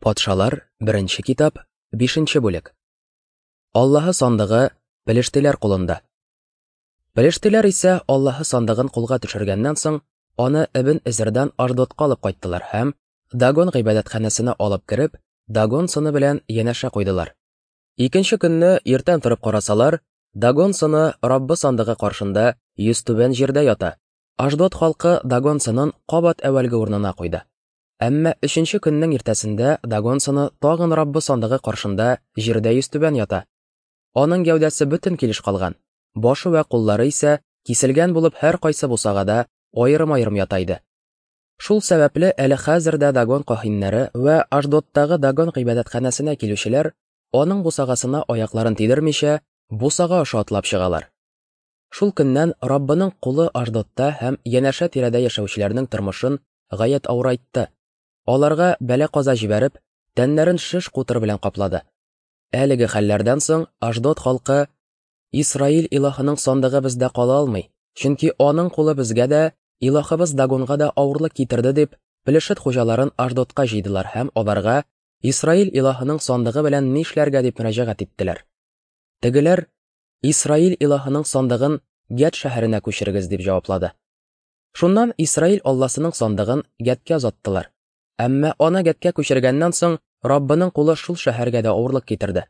Патшалар, беренче китап, бишенче бүлек. Аллаһы сандыгы пелештиләр кулында. Пелештиләр исә Аллаһы сандыгын кулга төшергәннән соң, аны Эбен Эзердан Аждотка алып кайттылар һәм Дагон гыйбадәтханәсенә алып кереп, Дагон сыны белән янәшә куйдылар. Икенче көнне иртән торып карасалар, Дагон сыны Раббы сандыгы каршында йөзтүбән җирдә ята. Аждот халкы Дагон сынын кабат әүвәлге урынына куйды. Әмма өченче көннең иртәсендә Дагон сыны тагын Раббы сандыгы каршында җирдә йөзтүбән ята. Аның гәүдәсе бөтен килеш калган, башы вә куллары исә киселгән булып һәркайсы бусагада аерым-аерым ята иде. Шул сәбәпле әле хәзер дә Дагон каһиннәре вә Аждоттагы Дагон гыйбадәтханәсенә килүчеләр аның бусагасына аякларын тидермичә, бусага аша атлап чыгалар. Шул көннән Раббының кулы Аждотта һәм янәшә тирәдә яшәүчеләрнең тормышын гаять авырайтты. Аларга бәла-каза җибәреп, тәннәрен шеш-кутыр белән каплады. Әлеге хәлләрдән соң Аждот халкы Исраил илаһының сандыгы бездә кала алмый, чөнки аның кулы безгә дә, илаһыбыз Дагонга да авырлык китерде дип, Пелешет хуҗаларын Аждотка җыйдылар һәм аларга Исраил илаһының сандыгы белән нишләргә дип мөрәҗәгать иттеләр. Тегеләр Исраил илаһының сандыгын Гәт шәһәренә күчерегез, дип җаваплады. Шуннан Исраил Алласының сандыгын Гәткә озаттылар. Әмма аны Гәткә күчергәннән соң, Раббының кулы шул шәһәргә дә авырлык китерде.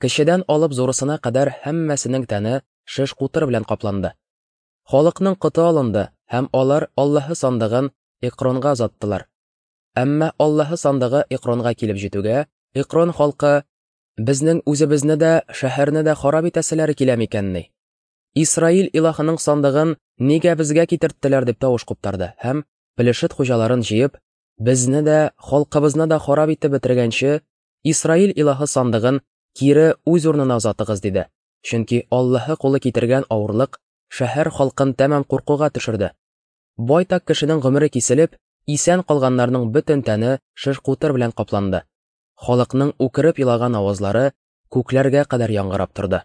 Кечедән алып зурысына кадәр һәммәсенең тәне шеш-кутыр белән капланды. Халыкның коты алынды, һәм алар Аллаһы сандыгын Экронга озаттылар. Әмма Аллаһы сандыгы Экронга килеп җитүгә, Экрон халкы Безнең үзебезне дә, шәһәрне дә харап итәселәре килә микәнни? Исраил илаһының сандыгын нигә безгә китерттеләр дип тавыш куптарды һәм Пелешет хуҗаларын җыеп, безне дә, халкыбызны да харап итеп бетергәнче, Исраил илаһы сандыгын кире үз урынына озатыгыз, диде. Чөнки Аллаһы кулы китергән авырлык шәһәр халкын тәмам куркуга төшерде. Байтак кешенең гомере киселеп, исән калганнарның бөтен тәне шеш-кутыр белән капланды. Халыкның үкереп елаган авазлары күкләргә кадәр яңгырап торды.